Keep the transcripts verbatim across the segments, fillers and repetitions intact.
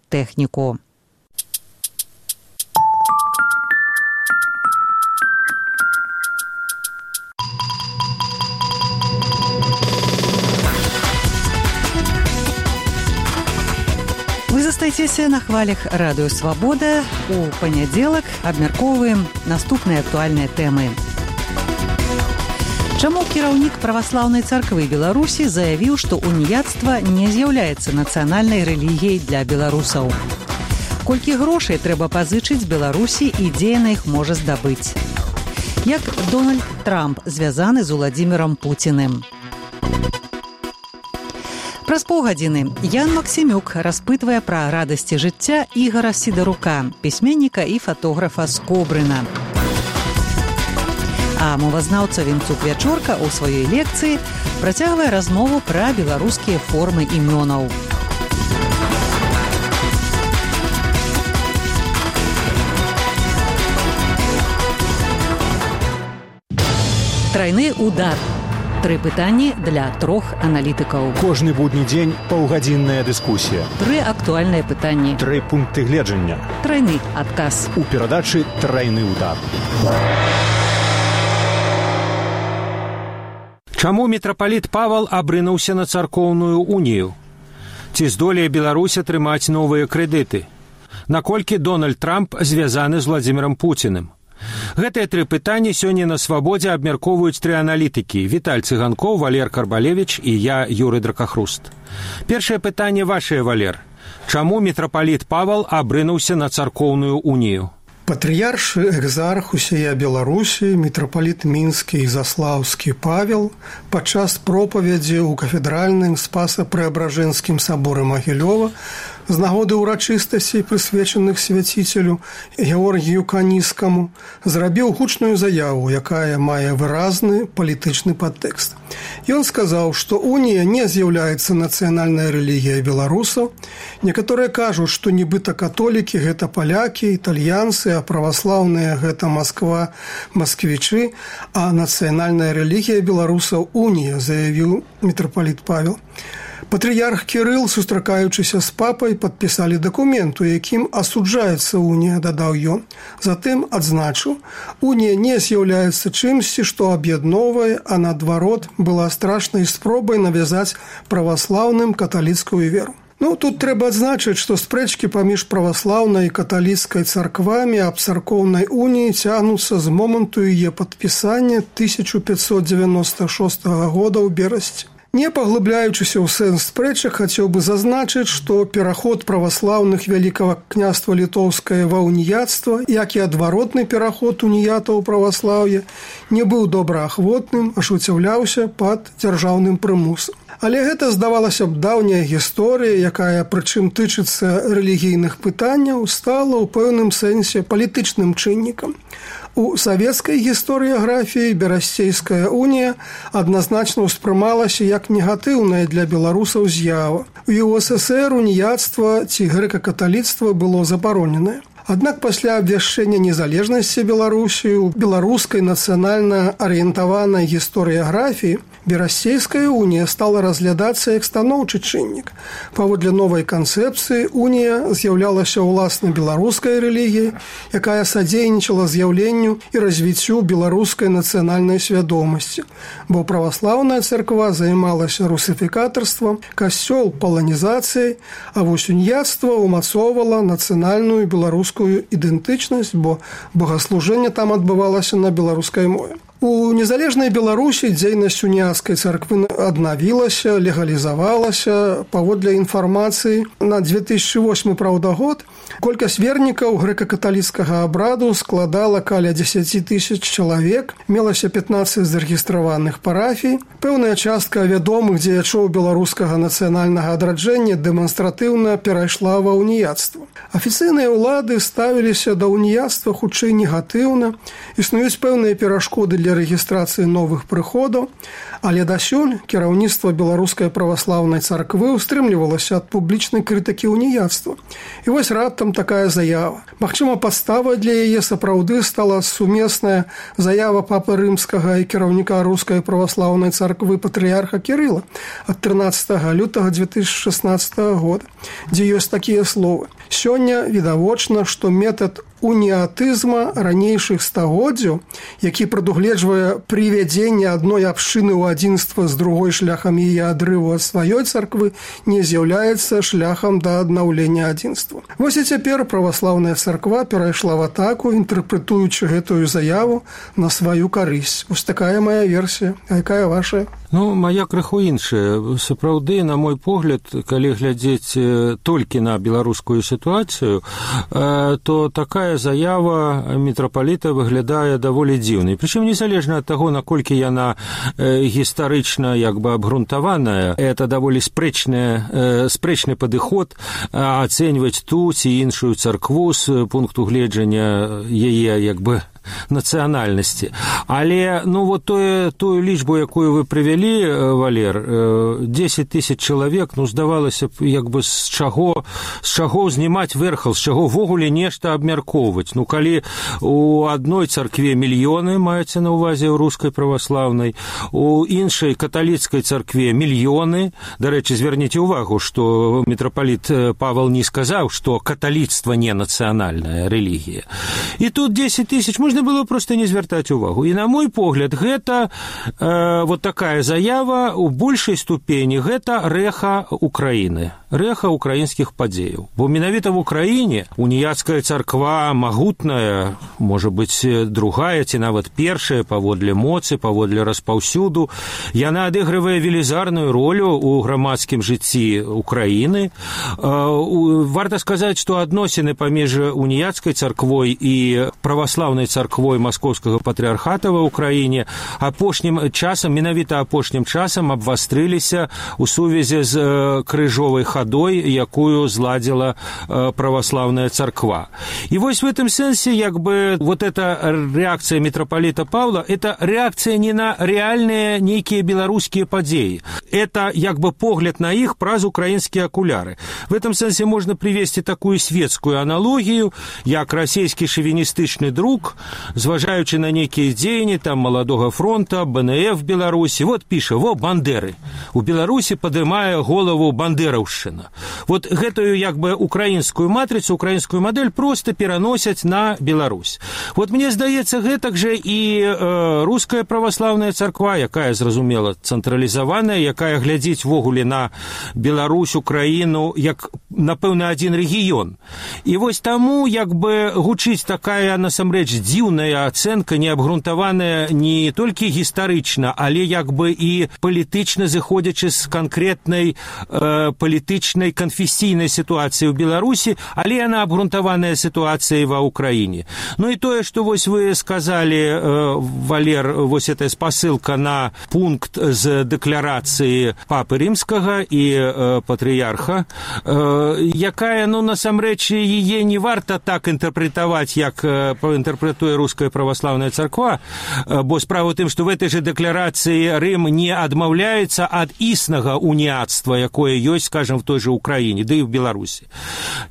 тэхніку. Вы застаецеся на хвалях радыё «Свабода». У панядзелак абмяркоўваем наступныя актуальныя тэмы. Чаму кіраўнік праваслаўнай царквы Беларусі заявіў, што уніяцтва не з'яўляецца нацыянальнай рэлігіяй для беларусаў? Колькі грошай трэба пазычыць Беларусі і дзе яна іх можа здабыць? Як Дональд Трамп звязаны з Уладзімірам Пуціным? Праз паўгадзіны Ян Максімюк распытвае пра радасці жыцця Ігара Сідарука, пісьменніка і фатографа з Кобрына. А мовазнаўца Вінцук Вячорка ў сваёй лекцыі працягвае размову пра беларускія формы імёнаў. Трайны удар. Тры пытанні для трох аналітыкаў. Кожны будні дзень паўгадзінная дыскусія. Тры актуальныя пытанні. Тры пункты гледжання. Трайны адказ. У перадачы «Трайны удар». Чаму мітрапаліт Павал абрынуўся на царкоўную унію? Ці здолее Беларусь атрымаць новыя крэдыты? Наколькі Дональд Трамп звязаны з Владзімірам Пуціным? Гэтыя тры пытанні сёння на «Свабодзе» абмяркоўваюць тры аналітыкі: Віталь Цыганкоў, Валер Карбалевіч і я, Юрый Дракахруст. Першае пытанне вашае, Валер. Чаму мітрапаліт Павал абрынуўся на царкоўную унію? Патрыярш экзарх усея Беларусі, мітрапаліт мінскі і заслаўскі Павел падчас пропаведзі ў кафедральным Спаса-Преабражэнскім саборы Магілёва з нагоды ўрачыстасцей, прысвечаных свяціцелю Георгію Каніскаму, зрабіў гучную заяву, якая мае выразны палітычны падтэкст. Ён сказаў, што унія не з'яўляецца нацыянальнай рэлігіяй беларусаў. Некаторыя кажуць, што нібыта католікі – гэта палякі, італьянцы, а праваслаўныя – гэта Масква, масквічы, а нацыянальная рэлігія беларусаў – унія, заявіў мітрапаліт Павел. Патрыярх Кірыл, сустракаючыся з папай, падпісалі дакумент, у якім асуджаецца унія, дадаў ён. Затым адзначыў, унія не з'яўляецца чымсьці, што аб'ядноўвае, а наадварот была страшнай спробай навязаць праваслаўным каталіцкую веру. Ну, тут трэба адзначыць, што спрэчкі паміж праваслаўнай і каталіцкай царквамі аб царкоўнай уніі цягнуцца з моманту яе падпісання тысяча пятьсот девяносто шостага года ў берасці. Не паглыбляючыся ў сэнс спрэчак, хацеў бы зазначыць, што пераход праваслаўных Вялікага княства літоўскае ва уніяцтва, як і адваротны пераход уніятаў у праваслаўе, не быў добраахвотным, ажыццяўляўся пад дзяржаўным прымусам. Але гэта, здавалася б, даўняя гісторыя, якая, прычым тычыцца рэлігійных пытанняў, стала ў пэўным сэнсе палітычным чыннікам. У савецкай гісторыяграфіі берасцейская унія адназначна ўспрымалася як негатыўная для беларусаў з'ява. У ю эс эс эр уніяцтва ці грэка-каталіцтва было забароненае. Аднак пасля абвяшчэння незалежнасці Беларусі ў беларускай нацыянальна арыентаванай гісторыяграфіі берасцейская унія стала разглядацца як станоўчы чыннік. Паводле новай канцэпцыі унія з'яўлялася ўласна беларускай рэлігіяй, якая садзейнічала з'яўленню і развіццю беларускай нацыянальнай свядомасці, бо праваслаўная царква займалася русіфікатарствам, касцёл паланізацыяй, а вось уніяцтва ўмацоўвала нацыянальную беларускую ідэнтычнасць, бо богаслужэнне там адбывалася на беларускай мове. У незалежнай Беларусі дзейнасць уніяцкай царквы аднавілася, легалізавалася. Паводле інфармацыі на две тысячы восьмы, праўда, год колькасць вернікаў грэка-каталіцкага абраду складала каля дзесяць тысяч чалавек, мелася пятнаццаць зарэгістраваных парафій. Пэўная частка вядомых дзеячоў беларускага нацыянальнага адраджэння дэманстратыўна перайшла ва уніяцтва. Афіцыйныя ўлады ставіліся да уніяцтва хутчэй негатыўна. Існуюць пэўныя перашкоды для для рэгістрацыі новых прыходаў, але дасюль кіраўніцтва беларускай праваслаўнай царквы устрымлівалася ад публічнай крытыкі уніяцтва. І вось раптам такая заява. Магчыма, падставай для яе сапраўды стала сумесная заява папы рымскага і кіраўніка рускай праваслаўнай царквы патрыярха Кірыла ад трынаццатага лютага дзве тысячы шаснаццатага года, дзе ёсць такія словы. Сёння відавочна, што метад уніатызма ранейшых стагоддзяў, які прадугледжвае прывядзенне адной абшчыны ў адзінства з другой шляхам яе адрыву ад сваёй царквы, не з'яўляецца шляхам да аднаўлення адзінства. Вось і цяпер праваслаўная царква перайшла в атаку, інтэрпрэтуючы гэтую заяву на сваю карысць. Вось такая мая версія. А якая ваша? Ну, моя крыху іншая. Сапраўды, на мой погляд, калі глядзець толькі на беларускую сітуацыю, то такая заява мітрапаліта выглядае даволі дзіўнай. Прычым незалежна ад таго, наколькі яна гістарычна як бы абгрунтаваная, это даволі спрэчны, спрэчны падыход ацэньваць ту ці іншую царкву з пункту гледжання яе як бы нацыянальнасці. Але, ну, вот тое, тую лічбу, якую вы прывялі, Валер, дзесяць тысяч чалавек, ну, здавалася б, як бы з чаго, з чаго знімаць верхал, з чаго ввогуле нешта абмяркоўваць. Ну, калі у адной царкве мільёны, маецца на ўвазе ў рускай праваслаўнай, у іншай каталіцкай царкве мільёны, дарэчы, зверніце ўвагу, што мітрапаліт Павал не сказаў, што каталіцтва не нацыянальная рэлігія. І тут дзесяць тысяч, можна было проста не звяртаць увагу. І на мой погляд, гэта э, вот такая заява у большай ступені гэта рэха Украіны, рэха украінскіх падзеяў. Бо менавіта в Украіне уніяцкая царква магутная, можа быць, другая ці нават першая паводле моцы, паводле распаўсюду, яна адыгрывае велізарную ролю ў грамадскім жыцці Украіны. Э, варта сказаць, што адносіны паміж уніяцкай царквой і праваслаўнай царквой царквой маскоўскага патрыархата ва ўкраіне апошнім часам, менавіта апошнім часам абвастрыліся ў сувязі з крыжовай хадой, якую зладзіла праваслаўная царква. І вось в этом сэнсе, як бы, вот эта реакция митрополита Павла, это реакция не на реальные некие белорусские падзеі. Это, як бы, погляд на іх праз украінскія акуляры. В этом сэнсе можно привести такую светскую аналогію, як расійскі шовіністычны друк, зважаючы на некія дзеянні там маладога фронта, Бэ Эн Эф Беларусі, вот піша, во, бандеры. У Беларусі падымае голову бандераўшчына. Вот гэтую, як бы, украінскую матрицу, украінскую модель просто пераносяць на Беларусь. Вот мне здаецца, гэтак же і э, руская праваслаўная царква, якая, зразумела, цэнтралізаваная, якая глядзіць ввогуле на Беларусь, Украіну, як, напэўна, адзін рэгіён. І вось таму, як бы, гучыць такая, насамрэч, дзіўная ацэнка, неабгрунтаваная не толькі гістарычна, але як бы і палітычна зыходзячы з канкрэтнай э, палітычнай канфесійнай сітуацыі ў Беларусі, але яна абгрунтаваная сітуацыяй ва Ўкраіне. Ну і тое, што вось вы сказалі, э, Валер, вось эта спасылка на пункт з дэкларацыі папы рымскага і э, патрыярха, э, якая, ну, насамрэч, яе не варта так інтэрпрэтаваць, як э, інтэрпрэтуе руская праваслаўная царква, бо справа ў тым, што в этой же дэкларацыі Рым не адмаўляецца ад існага уніяцтва, якое ёсць, скажем, в той же Украіне, да і в Беларусі.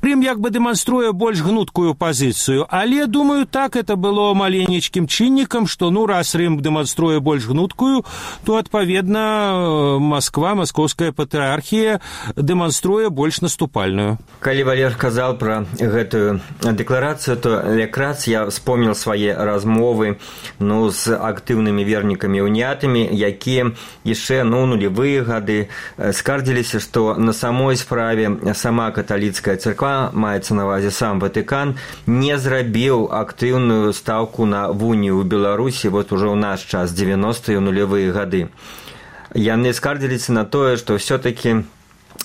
Рым як бы дэманструе больш гнуткую пазіцыю, але, думаю, так это было маленечкім чыннікам, што, ну, раз Рым дэманструе больш гнуткую, то, адпаведна, Москва, маскоўская патрыархія дэманструе больш наступальную. Калі Валер казаў пра гэтую дэкларацыю, то якраз я вспомнил свае размовы, ну, з актыўнымі вернікамі уніятамі, якія яшчэ, ну, нулевыя гады скардзіліся, што на самой справе сама каталіцкая царква, маецца на ўвазе сам Ватыкан, не зрабіў актыўную стаўку на унію ў Беларусі вот ужо ў наш час, дзевяностыя нулевыя гады. Яны скардзіліся на тое, што ўсё-такі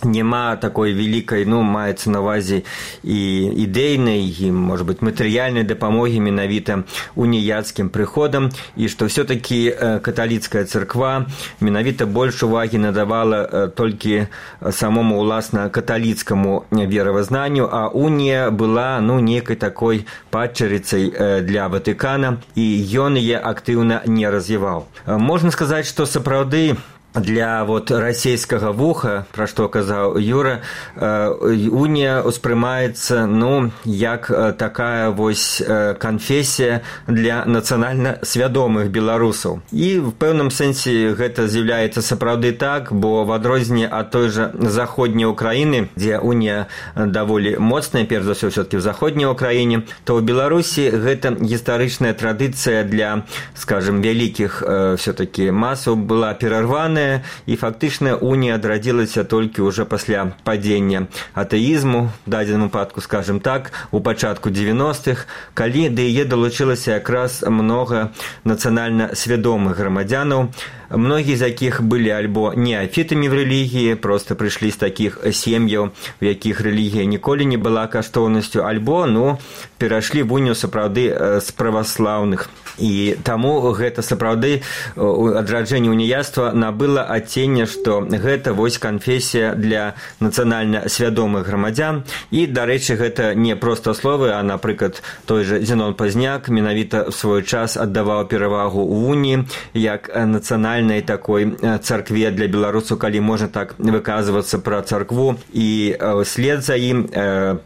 няма такой великай, ну, маецца на ўвазе і ідэйнай, і, можа быць, матэрыяльнай дапамогі менавіта уніяцкім прыходам, і што ўсё-такі каталіцкая царква менавіта больш увагі надавала толькі самому, уласна, каталіцкаму веравызнанню, а унія была, ну, некай такой падчарыцай для Ватыкана, і ён яе актыўна не развіваў. Можна сказаць, што сапраўды для вот расійскага вуха, пра што казаў Юра, унія ўспрымаецца, ну, як такая вось канфесія для нацыянальна свядомых беларусаў. І в пэўным сэнсе гэта з'яўляецца сапраўды так, бо в адрозненне ад той жа заходняй Украіны, дзе унія даволі моцная, перш за ўсё ўсё-такі в заходняй Украіне, то ў Беларусі гэта гістарычная традыцыя для, скажем, вялікіх ўсё-такі масаў была перарваная, і фактычна унія адрадзілася толькі ўжо пасля падзення атэізму, в дадзеным выпадку, скажем так, у пачатку дзевяностых, калі да яе далучылася якраз многа нацыянальна свядомых грамадзянаў, многія з якіх былі альбо неафітамі в рэлігіі, проста прыйшлі з такіх сем'яў, у якіх рэлігія ніколі не была каштоўнасцю, альбо, ну, перайшлі в унію сапраўды з праваслаўных. І таму гэта сапраўды адраджэнне уніяцтва набыла адценне, што гэта вось канфесія для нацыянальна свядомых грамадзян. І, дарэчы, гэта не проста словы, а, напрыклад, той жа Зенон Пазняк менавіта в свой час аддаваў перавагу ў уніі як нацыянальнай такой царкве для беларусаў, калі можна так выказвацца пра царкву. І след за ім,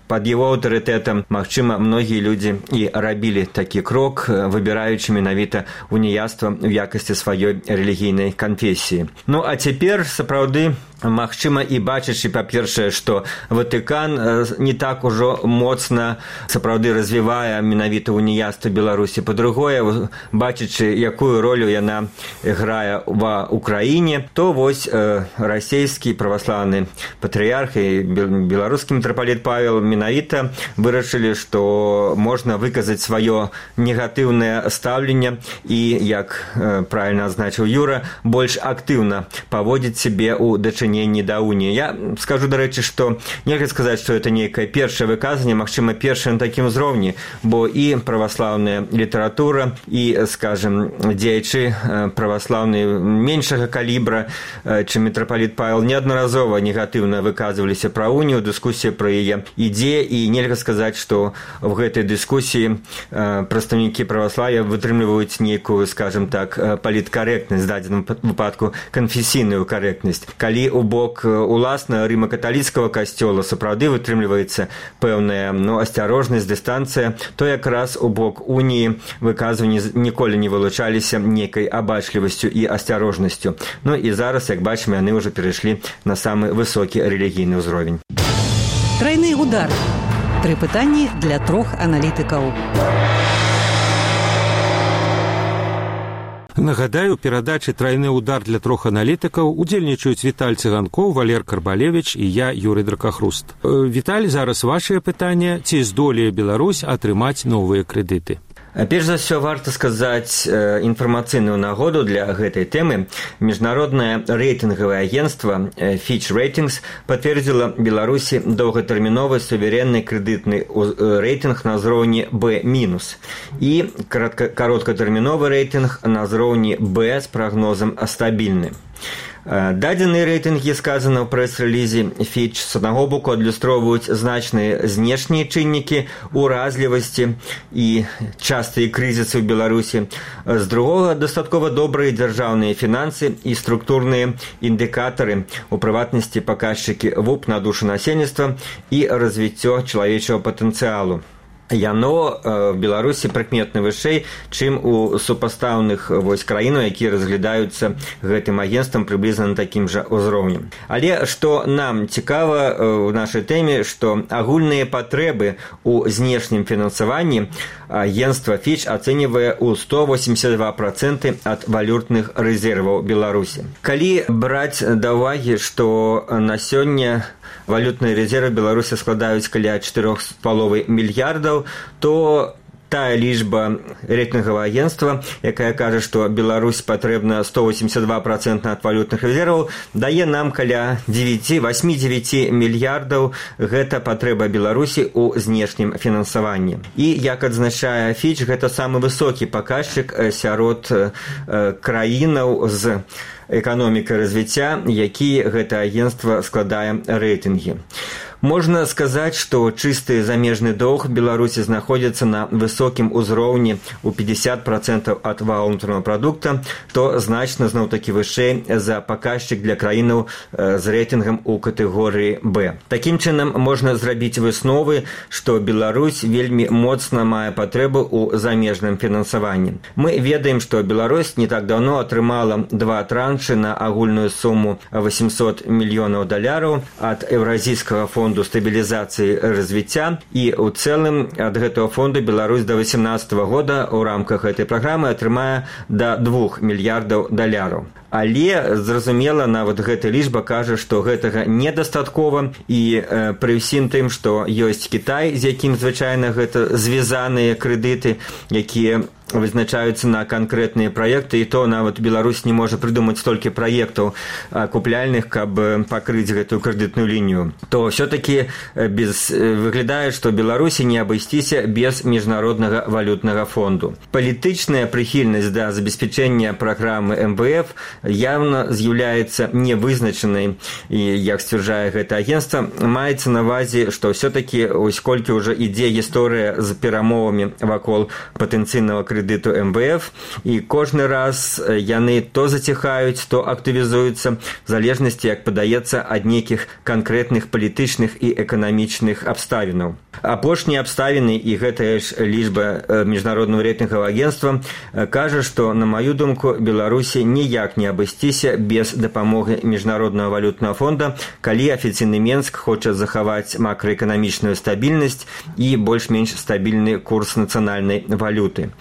пад яго аўтарытэтам, магчыма, многія людзі і рабілі такі крок, выбіраючы менавіта уніяцтва ў якасці сваёй рэлігійнай канфесіі. Ну, а цяпер, сапраўды, магчыма, і бачачы, па-першае, што Ватыкан не так ужо моцна сапраўды развівае менавіта уніяцтва Беларусі. Па-другое, бачачы, якую ролю яна грае ва Украіне, то вось э, расійскі праваслаўны патрыярх і беларускі мітрапаліт Павел менавіта вырашылі, што можна выказаць сваё негатыўнае стаўленне і, як э, правільна адзначыў Юра, больш актыўна паводзіць сябе ў дачыненні да уніі. Я скажу, дарэчы, што нельга сказаць, што это нейкае першае выказанне, магчыма, першае на такім узроўні, бо і праваслаўная літаратура, і, скажем, дзеячы праваслаўныя меншага калібра, чым мітрапаліт Павел, неаднаразова негатыўна выказваліся пра унію, дыскусія пра яе ідзе, і нельга сказаць, што в гэтай дыскусіі прадстаўнікі праваславia вытрымліваюць нейкую, скажем так, паліткарэктнасць, в дадзеным выпадку канфесійную карэктнасць. Калі у бок уласна рыма-каталіцкага касцёла сапраўды вытрымліваецца пэўная, ну, асцярожнасць, дыстанцыя, то якраз у бок уніі выказванні ніколі не вылучаліся нейкай абачлівасцю і асцярожнасцю. Ну і зараз, як бачым, яны ўжо перайшлі на самы высокі рэлігійны ўзровень. Трайны удар. Тры пытанні для трох аналітыкаў. Нагадаю, у перадачы «Трайны удар» для трох аналітыкаў удзельнічаюць Віталь Цыганкоў, Валер Карбалевіч і я, Юрый Дракахруст. Віталь, зараз вашае пытанне: ці здолее Беларусь атрымаць новыя крэдыты? Перш за ўсё, варта сказаць інфармацыйную нагоду для гэтай тэмы. Міжнароднае рэйтынгавае агенцтва Fitch Ratings пацвердзіла Беларусі доўгатэрміновы суверэнны крэдытны рэйтынг на ўзроўні бэ мінус і кароткатэрміновы рэйтынг на ўзроўні бэ з прагнозам стабільны. Дадзеныя рэйтынгі, сказана ў прэс-рэлізе Fitch, з аднаго боку адлюстроўваюць значныя знешнія чыннікі уразлівасці і частыя крызісы ў Беларусі. З другога, дастаткова добрыя дзяржаўныя фінансы і структурныя індыкатары, у прыватнасці паказчыкі ВУП на душу насельніцтва і развіццё чалавечага патэнцыялу. Яно в Беларусі прыкметна вышэй, чым у супастаўных вось краінаў, якія разглядаюцца гэтым агенцтвам прыблізна на такім жа ўзроўні. Але што нам цікава ў нашай тэме, што агульныя патрэбы ў знешнім фінансаванні агенцтва Fitch ацэньвае ў сто восемьдесят два проценты ад валютных рэзерваў Беларусі. Калі браць да ўвагі, што на сёння валютныя рэзервы Беларусі складаюць каля чатырох з паловай мільярдаў, то тая лічба рэйтынгавага агентства, якая кажа, што Беларусь патрэбна сто восемьдесят два процента ад валютных рэзерваў, дае нам каля восемь-девять мільярдаў. Гэта патрэба Беларусі ў знешнім фінансаванні. І, як адзначае Фіч, гэта самы высокі паказчык сярод краінаў з эканомікай развіцця, які гэта агентства складае рэйтынгі. Можна сказаць, што чысты замежны доўг Беларусі знаходзіцца на высокім узроўні ў пятьдесят процентаў ад валовага ўнутранага прадукта, што значна зноў-такі вышэй за паказчык для краінаў з рэйтынгам у катэгорыі Б. Такім чынам можна зрабіць высновы, што Беларусь вельмі моцна мае патрэбу ў замежным фінансаванні. Мы ведаем, што Беларусь не так даўно атрымала два траншы на агульную суму восемьсот мільёнаў даляраў ад Еўразійскага фонду стабілізацыі развіцця, і ў цэлым ад гэтага фонду Беларусь да восемнадцатага года ў рамках гэтай праграмы атрымае да двух мільярдаў даляраў. Але, зразумела, нават гэта лічба кажа, што гэтага недастаткова, і э, пры ўсім тым, што ёсць Кітай, з якім звычайна гэта звязаныя крэдыты, якія вызначаюцца на канкрэтныя праекты, і то нават Беларусь не можа прыдумаць столькі праектаў купляльных, каб пакрыць гэтую крэдытную лінію, то ўсё-такі без... выглядае, што Беларусі не абысціся без міжнароднага валютнага фонду. Палітычная прыхільнасць да забеспячэння праграмы эм вэ эф явно з'яўляецца невызначанай, і, як сцвярджае гэта агентства, маецца на ўвазе, што ўсё-такі ось колькі ўжо ідзе гісторыя з перамовамі вакол патэнцыйнага крэдыту эм вэ эф, і кожны раз яны то заціхаюць, то актывізуюцца, в залежнасці, як падаецца, ад нейкіх канкрэтных палітычных і эканамічных абставінаў. Апошнія абставіны, і гэтая ж лічба міжнароднага рэйтынгавага агентства, кажа, што, на маю думку, Беларусі ніяк не абысціся без дапамогі міжнароднага валютнага фонда, калі афіцыйны Менск хоча захаваць макраэканамічную стабільнасць і больш-менш стабільны курс нацыянальнай валюты.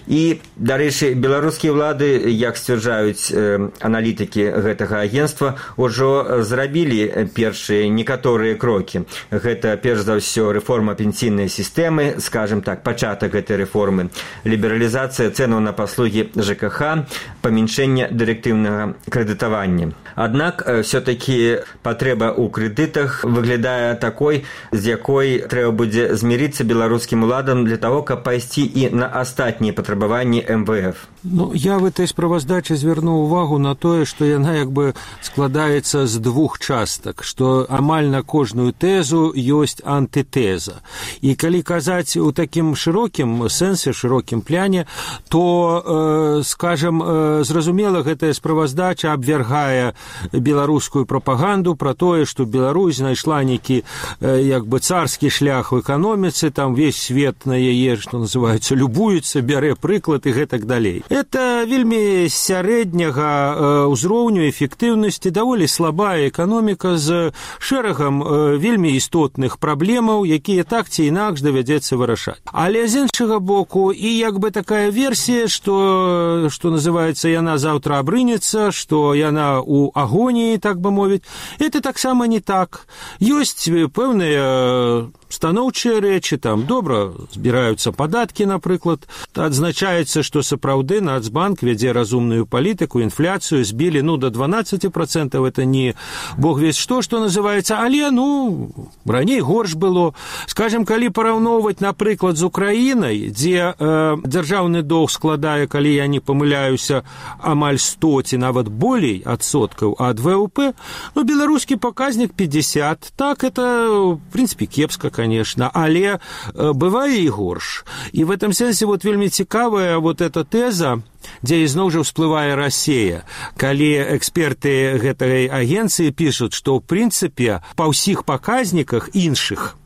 І, дарэчы, беларускія ўлады, як сцвярджаюць э, аналітыкі гэтага агентства, ужо зрабілі першыя некаторыя крокі. Гэта, перш за ўсё, рэформа пенсійнай сістэмы, скажем так, пачатак гэтай рэформы, лібералізацыя цэнаў на паслугі жэ ка ха, памяншэнне дырэктыўнага крэдытавання. Аднак, все-таки патрэба ў крэдытах выглядае такой, з якой трэба будзе змірыцца беларускім уладам для того, каб пайсці і на астатнія патрабаванні эм вэ эф. Ну, я в этой справаздаче звярнуў увагу на тое, што яна як бы складаецца з двух частак, што амаль на кожную тэзу ёсць антытэза. І калі казаць у такім шырокім сэнсе, шырокім пляне, то, э, скажем, э, зразумела, гэтая справаздача абвяргае беларускую прапаганду пра тое, што Беларусь знайшла нейкі э, як бы царскі шлях у эканоміцы, там весь свет на яе, што называецца, любуецца, бярэ прыклад і гэтак далей. Это вельмі сярэдняга ўзроўню эфектыўнасці, даволі слабая эканоміка з шэрагам вельмі істотных праблемаў, якія так ці інакш давядзецца вырашаць. Але з іншага боку, і як бы такая версія, што, што называецца, яна заўтра абрынецца, што яна ў агоніі, так бы мовіць, это таксама не так. Ёсць пэўныя станоўчыя рэчы, там добра збіраюцца падаткі, напрыклад, адзначаецца, што сапраўды Нацбанк вядзе разумную палітыку, інфляцыю збілі, ну, до дванаццаць процентаў, это не бог весь што, што называецца, але, ну, раней горш было. Скажем, калі параўноўваць, напрыклад, з Украінай, дзе э, дзяржаўны доўг складае, калі я не памыляюся, амаль сто ці нават болей адсоткаў ад вэ у пэ, ну, беларускі паказнік пятьдесят, так, это, в принципе, кепска, конечно, але э, бывае і горш. І в этом сенсе вот вельмі цікавая вот эта тэза, дзе ізноў жа ўсплывае Расія, калі эксперты гэтай агенцыі пішуць, што ў прынцыпе па ўсіх паказніках іншых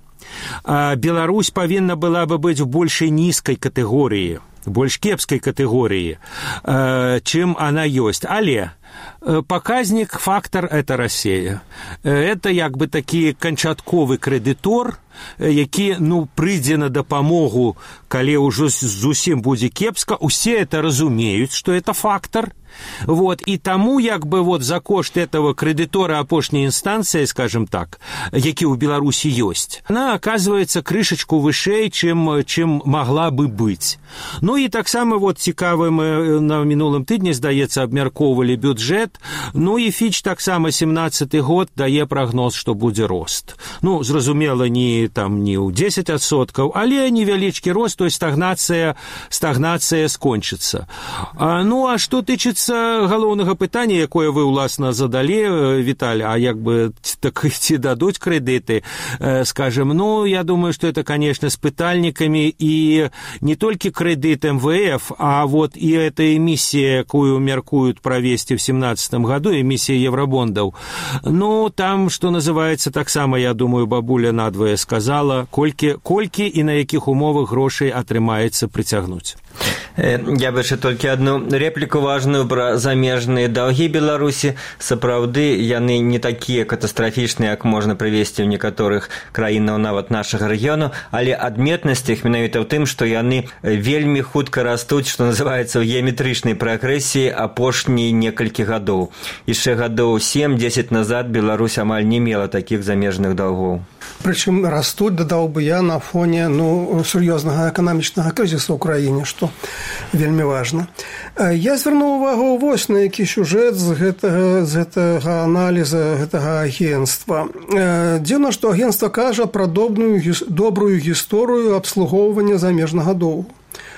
Беларусь павінна была бы быць у большай нізкай катэгорыі, больш кепскай катэгорыі, чым она ёсць. Але показник, фактор – это Россия. Это як бы такі канчатковы крэдытор, які, ну, прыйдзе на дапамогу, калі ўжо зусім будзе кепска. Усе это разумеюць, что это фактор. Вот, и тому, як бы, вот, за кошт этого кредитора апошняй инстанции, скажем так, які у Беларуси есть, она оказывается крышечку вышэй, чем, чем могла бы быть. Ну и так само, вот, цікавы, мы на минулым тыдні, здаецца, абмяркоўвалі бюджет, ну и Фіч так само семнадцаты год дае прогноз, что будзе рост. Ну, зразумела, не, там, не ў дзесяць адсоткаў, але невялічкі рост, то есть стагнация, стагнация скончыцца. А, ну, а что тычыцца галоўнага пытання, якое вы, уласна, задалі, Віталь, а як бы так ці дадуць крэдыты, скажем, ну, я думаю, что это, конечно, с пытальниками, и не только кредит эм вэ эф, а вот и эта эмиссия, якую меркуют провести в семнадцатом году, эмиссия евробондов, ну, там, что называется, так само, я думаю, бабуля надвое сказала, колькі, колькі и на якіх умовах грошей атрымаецца прыцягнуць. Я бы яшчэ толькі одну репліку важную пра замежныя даўгі Беларусі. Сапраўды, яны не такія катастрафічныя, як можна прывесці ў некаторых краінаў нават нашага рэгіёну, але адметнасць іх менавіта ў тым, што яны вельмі хутка растуць, што называецца ў геаметрычнай прагрэсіі апошнія некалькі гадоў. Яшчэ гадоў сем-дзесяць назад Беларусь амаль не мела такіх замежных даўгоў. Причем растут, додал бы я, на фоне ну, серьезного экономичного кризиса в Украине, что вельми важно. Я звернуў увагу вось на які сюжет з гэтага, з гэтага аналіза гэтага агентства. Дзіўна, што агентство кажа пра добрую, добрую гісторыю абслугоўвання замежнага доўгу.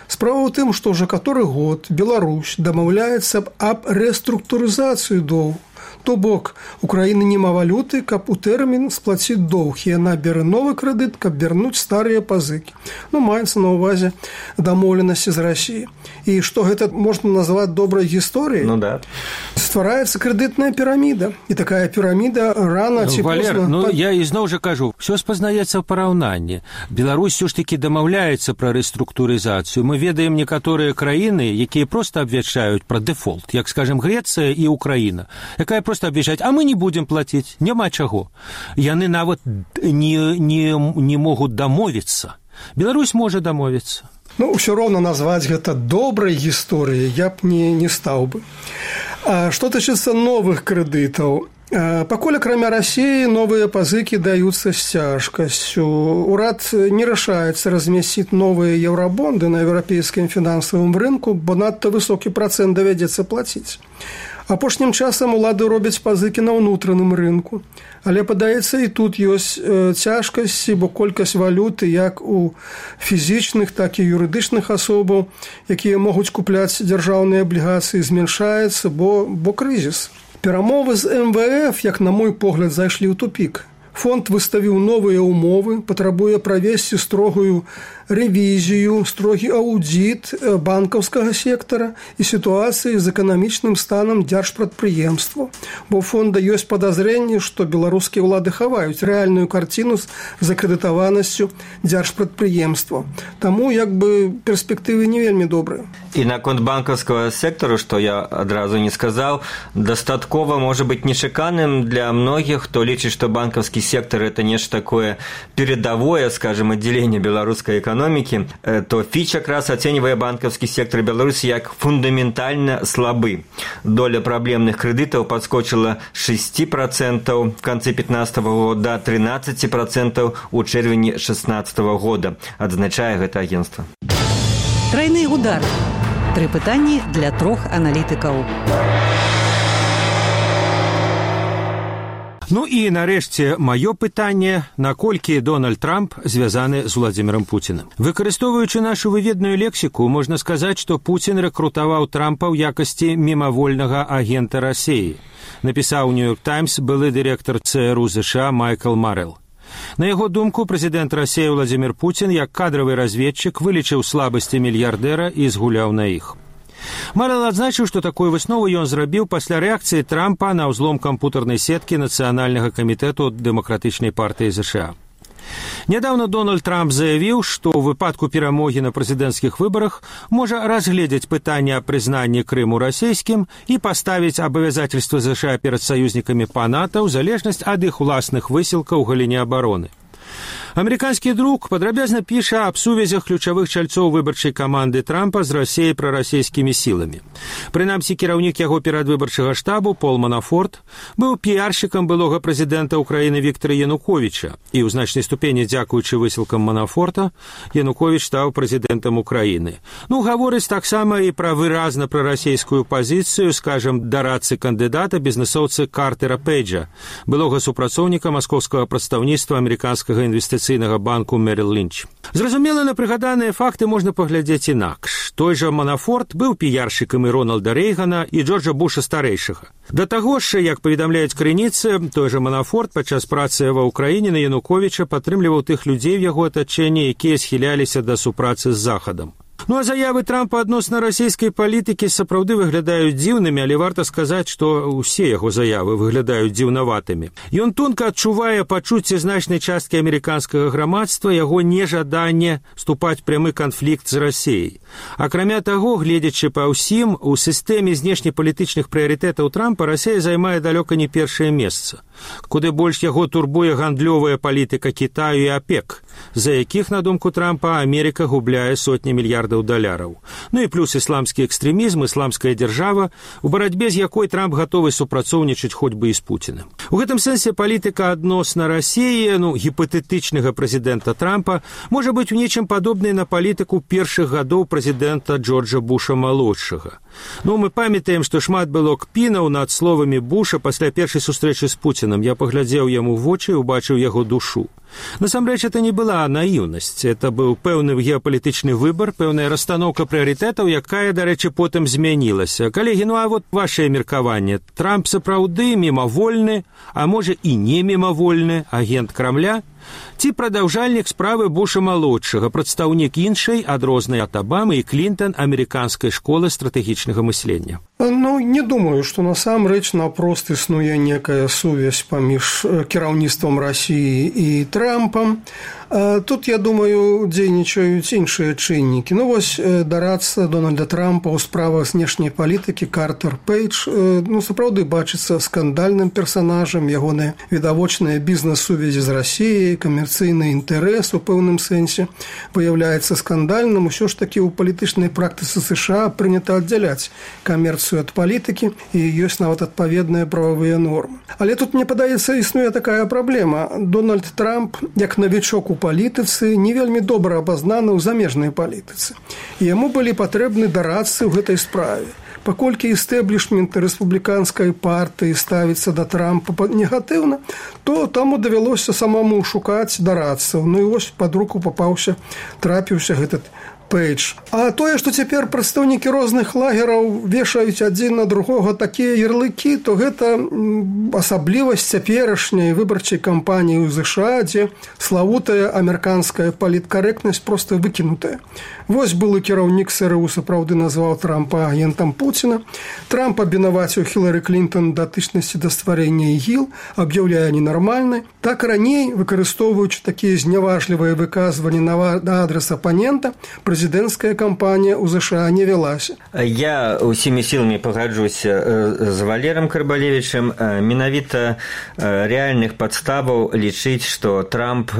Справа ў тым, што ўжо каторы год Беларусь дамаўляецца аб рэструктурызацыі доўгу. То бок, Украина нема валюты, каб у тэрмін сплаціць доўг, і яна бярэ новы крэдыт, каб вярнуць старыя пазыкі. Ну, маецца на ўвазе дамоўленасці з Расіі. І што гэта можна назваць добрай гісторыяй? Ну да. Ствараецца крэдытная піраміда. І такая піраміда рана ці Валер, позна... ну я ізноў жа кажу, все спазнаецца ў параўнанні. Беларусь все ж таки дамаўляецца пра рэструктурызацыю. Мы ведаем некаторыя краіны, якія проста абвяшчаюць пра дэфолт, як, скажем, Грэцыя і Украіна, якая просто обвяжаць, а мы не будем платить, няма чаго. Яны нават не, не, не могут дамовіцца. Беларусь можа дамовіцца. Ну, ўсё роўна назваць гэта добрай гісторыяй я б не, не стаў бы. А што тычыцца новых крэдытаў? Пакуль акрамя Расіі новыя пазыкі даюцца з цяжкасцю. Урад не рашаецца размясціць новыя еўрабонды на еўрапейскім фінансавым рынку, бо надта высокі працэнт давядзецца плаціць. Апошнім часам улады робяць пазыкі на ўнутраным рынку. Але, падаецца, і тут ёсць цяжкасці, бо колькасць валюты як у фізічных, так і юрыдычных асобаў, якія могуць купляць дзяржаўныя аблігацыі, змяншаецца, бо, бо крызіс. Перамовы з эм вэ эф, як на мой погляд, зайшлі ў тупік. Фонд выставіў новыя ўмовы, патрабуе правесці строгую рэвізію, строгі аўдзіт банкаўскага сектара і сітуацыі з эканамічным станам дзяржпрадпрыемства. Бо у фонда ёсць падазрэнне, што беларускія ўлады хаваюць рэальную карціну з закрэдытаванасцю дзяржпрадпрыемства. Таму як бы перспектывы не вельмі добрыя. І наконт банкаўскага сектару, што я адразу не сказаў, дастаткова можа быць нечаканым для многіх, хто лічыць, што банкаўскі сектор – это нечто такое передовое, скажем, отделение белорусской экономики, то Фич как раз оценивая банковский сектор Беларуси как фундаментально слабый. Доля проблемных кредитов подскочила с шести процентов в конце две тысячи пятнадцатого года до тринадцати процентов у червени две тысячи шестнадцатого года, отзначае это агентство. Тройны удар. Тры пытанні для трох аналітыкаў. Ну і, нарэшце, маё пытанне, наколькі Дональд Трамп звязаны з Владзімірам Пуціным. Выкарыстоўваючы нашу выведную лексіку, можна сказаць, што Пуцін рэкрутаваў Трампа ў якасці мімавольнага агента Расіі. Напісаў Нью-Йорк Таймс былы дырэктар цэ эр у ЗША Майкл Марэл. На яго думку, прэзідэнт Расіі Владзімір Пуцін, як кадравы разведчык, вылічыў слабасці мільярдэра і згуляў на іх. Марэл адзначыў, што такую выснову ён зрабіў пасля рэакцыі Трампа на ўзлом кампутарнай сеткі Нацыянальнага камітэту Дэмакратычнай партыі ЗША. Нядаўна Дональд Трамп заявіў, што ў выпадку перамогі на прэзідэнцкіх выбарах можа разгледзець пытанне аб прызнанні Крыму расійскім і паставіць абавязательства ЗША перад саюзнікамі па НАТО ў залежнасць ад іх уласных высілкаў у галіне абароны. Амерыканскі друк падрабязна піша аб сувязях ключавых чальцоў выбарчай каманды Трампа з Расіяй прарасійскімі сіламі. Прынамсі, кіраўнік яго перадвыбарчага штабу Пол Манафорт быў піаршчыкам былога прэзідэнта Украіны Віктара Януковіча, і ў значнай ступені дзякуючы высілкам Манафорта Януковіч стаў прэзідэнтам Украіны. Ну, гаворыць таксама і пра выразна прарасійскую пазіцыю, скажам, дарадцы кандыдата бізнесоўцы Картера Пейджа, былога супрацоўніка маскоўскага прадстаўніцтва амерыканскага інвестыцыйнага банку Мерил Лінч. Зразумела, на прыгаданыя факты можна паглядзець інакш. Той жа Манафорт быў піяршчыкам і Рональда Рэйгана і Джорджа Буша старэйшага. Да таго ж, як паведамляюць крыніцы, той жа Манафорт падчас працы ва ўкраіне на Януковіча падтрымліваў тых людзей в яго атачэнні, якія схіляліся да супрацы з Захадам. Ну а заявы Трампа адносна расійскай палітыкі сапраўды выглядаюць дзіўнымі, але варта сказаць, што ўсе яго заявы выглядаюць дзіўнаватымі. Ён тонка адчувае пачуцце значнай часткі амерыканскага грамадства, яго нежаданне ступаць прямы канфлікт з Расіяй. Акрамя таго, гледзячы па ўсім, у сістэме знешнепалітычных прыярытэтаў Трампа Расія займае далёка не першае месца. Куды больш яго турбуе гандлёвая палітыка Кітаю і АПЕК, за якіх, на думку Трампа, Амерыка губляе сотні мільярдаў даляраў. Ну і плюс ісламскі экстрэмізм, ісламская дзяржава, у барацьбе з якой Трамп гатовы супрацоўнічаць хоць бы і з Пуцінам. У гэтым сэнсе палітыка адносна Расіі, ну, гіпатэтычнага прэзідэнта Трампа, можа быць у нечым падобнай на палітыку першых гадоў прэзідэнта Джорджа Буша-малодшага. Ну, мы памятаем, што шмат было кпінаў над словамі Буша пасля першай сустрэчы з Пуцінам. Я паглядзеў яму ў вочы і убачыў яго душу. Насамрэч, это не была наіўнасць, это быў пэўны геапалітычны выбар, пэўная расстаноўка прыярытэтаў, якая, дарэчы, потым змянілася. Калегі, ну а вот вашее меркаванне. Трамп сапраўды мімавольны, а можа і не мімавольны агент Крамля? Ці прадаўжальнік справы Буша-малодшага, прадстаўнік іншай, адрознай ад Абамы і Клінтон, амерыканскай школы стратэгічнага мыслення? Ну, не думаю, што насамрэч наўпрост існуе некая сувязь паміж кіраўніцтвам Расіі і Трампам. Тут, я думаю, дзейнічаюць іншыя чыннікі. Ну, вось дарадца Дональда Трампа ў справах знешняй палітыкі Картер Пейдж, ну, сапраўды бачыцца скандальным персанажам, ягоныя відавочныя бізнес-сувязі з Расіяй, камерцыйны інтарэс у пэўным сэнсе выяўляецца скандальным. Усё ж такі ў палітычнай практыцы США прынята аддзяляць камерцыю ад палітыкі, і ёсць нават адпаведныя прававыя нормы. Але тут, мне падаецца, існуе такая праблема. Дональд Трамп, як навічок у палітыцы, не вельмі добра абазнаны ў замежнай палітыцы. І яму былі патрэбны дарадцы ў гэтай справе. Паколькі істэблішмент рэспубліканскай партыі ставіцца да Трампа негатыўна, то таму давялося самому шукаць дарадцаў. Ну і вось пад руку папаўся, трапіўся гэтый Пейдж. А тое, што цяпер прадстаўнікі розных лагераў вешаюць адзін на другога такія ярлыкі, то гэта асаблівасць цяперашняй выбарчай кампаніі ў ЗША, дзе славутая амерыканская паліткарэктнасць проста выкінутая. Вось былы кіраўнік СРУ сапраўды назваў Трампа агентам Пуціна. Трамп абвінаваціў Хілары Клінтон датычнасці да стварэння ІГІЛ, аб'яўляе ненармальнай. Так раней, выкарыстоўваючы такія зняважлівыя выказванні на адрас апанента, прэзідэнцкая кампанія ў ЗША не вялася. Я усімі сіламі пагаджуся з Валерам Карбалевічам. Менавіта рэальных падставаў лічыць, што Трамп,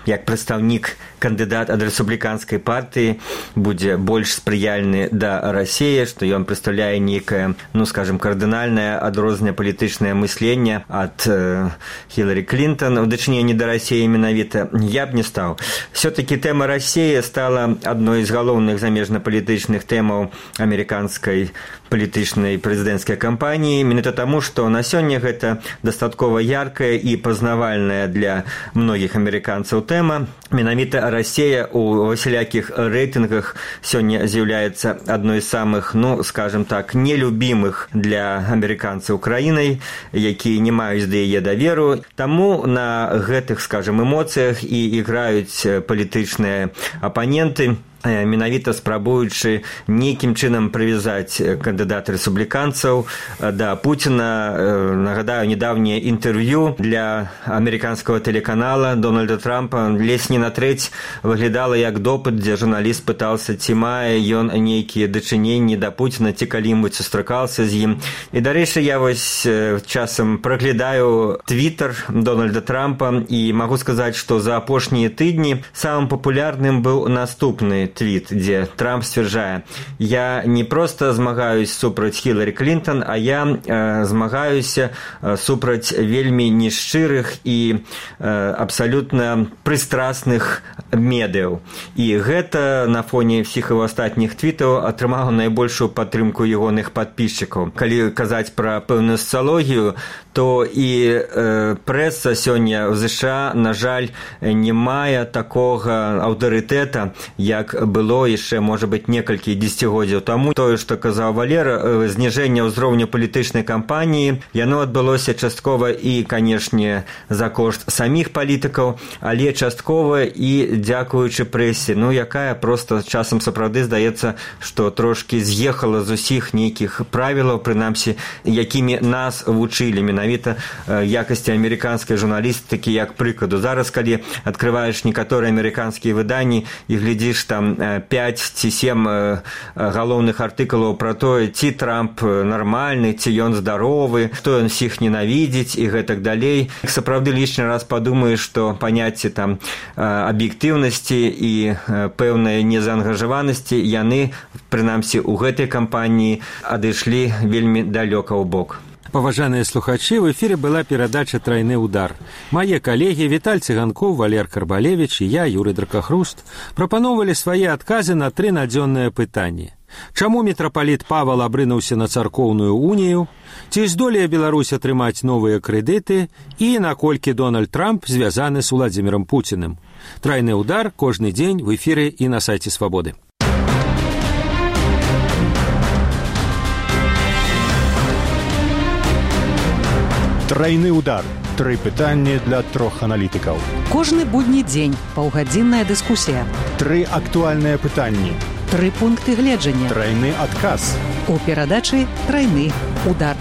як прадстаўнік кандыдат ад рэспубліканскай партыі, будзе больш спрыяльны да Расіі, што ён прадстаўляе нейкае, ну, скажем, кардынальнае адрознае палітычнае мысленне ад э, Хілары Клінтон у дачыненні да Расіі менавіта. Я б не стаў. Все-таки тэма Расіі стала адной з галоўных замежна-палітычных тэмаў амерыканскай палітычнай прэзідэнцкай кампаніі, менавіта таму, што на сёння гэта дастаткова яркая і пазнавальная для многіх амерыканцаў тэма. Менавіта Расія у усялякіх рэйтынгах сёння з'яўляецца адной з самых, ну, скажем так, нелюбімых для амерыканцаў краінай, якія не маюць да яе даверу. Таму на гэтых, скажем, эмоцыях і іграюць палітычныя апаненты. менавіта спрабуючы нейкім чынам прывязаць кандыдат рэспубліканцаў да Пуціна. Нагадаю, недавнее інтэрв'ю для амерыканскага тэлеканала Дональда Трампа ледзь не на трэць выглядала як допыт, дзе журналіст пытаўся, ці мае ён нейкія дачыненні да Пуціна, ці калі-небудзь сустракаўся з ім. І, дарэчы, я вось часам праглядаю твітер Дональда Трампа і магу сказаць, што за апошнія тыдні самым папулярным быў наступны твіт, дзе Трамп сцвярджае: «Я не проста змагаюсь супраць Хіларі Клінтон, а я э, змагаюся супраць вельмі нешчырых і э, абсалютна прыстрасных медыяў». І гэта на фоне всіх его астатніх твітаў атрымала найбольшую падтрымку ягоных падпісчыкаў. Калі казаць пра пэўную сацыялогію, то і э, прэса сёння ў ЗША, на жаль, не мае такога аўтарытэта, як было яшчэ, можа быць, некалькі дзесяцігоддзяў таму. Тое, што казаў Валера, зніжэнне ўзроўню палітычнай кампаніі, яно адбылося часткова і, канешне, за кошт саміх палітыкаў, але часткова і дзякуючы прэсе, ну, якая проста часам сапраўды здаецца, што трошкі з'ехала з усіх нейкіх правілаў, прынамсі, якімі нас вучылі менавіта якасці амерыканскай журналістыкі, як прыкладу. Зараз, калі адкрываеш некаторыя амерыканскія выданні і глядзіш там пяць ці сем галоўных артыкулаў пра тое, ці Трамп нармальны, ці ён здаровы, што ён всіх ненавідзіць і гэтак далей. Сапраўды лішні раз падумаеш, што паняцці там аб'ектыўнасці і пэўнай незаангажаванасці, яны, прынамсі, у гэтай кампаніі адышлі вельмі далёка ў бок. Паважаныя слухачы, в эфіры была перадача «Трайны удар». Мае калегі Віталь Цыганкоў, Валер Карбалевіч і я, Юрый Дракахруст, прапаноўвалі свае адказы на тры надзённыя пытанні. Чаму мітрапаліт Павал абрынуўся на царкоўную унію? Ці здолее Беларусь атрымаць новыя крэдыты? І наколькі Дональд Трамп звязаны з Уладзімірам Пуціным? «Трайны удар» кожны дзень в эфіры і на сайце Свабоды. Трайны удар. Тры пытанні для трох аналітыкаў. Кожны будні дзень паўгадзінная дыскусія. Тры актуальныя пытанні. Тры пункты гледжання. Трайны адказ. У перадачы «Трайны удар».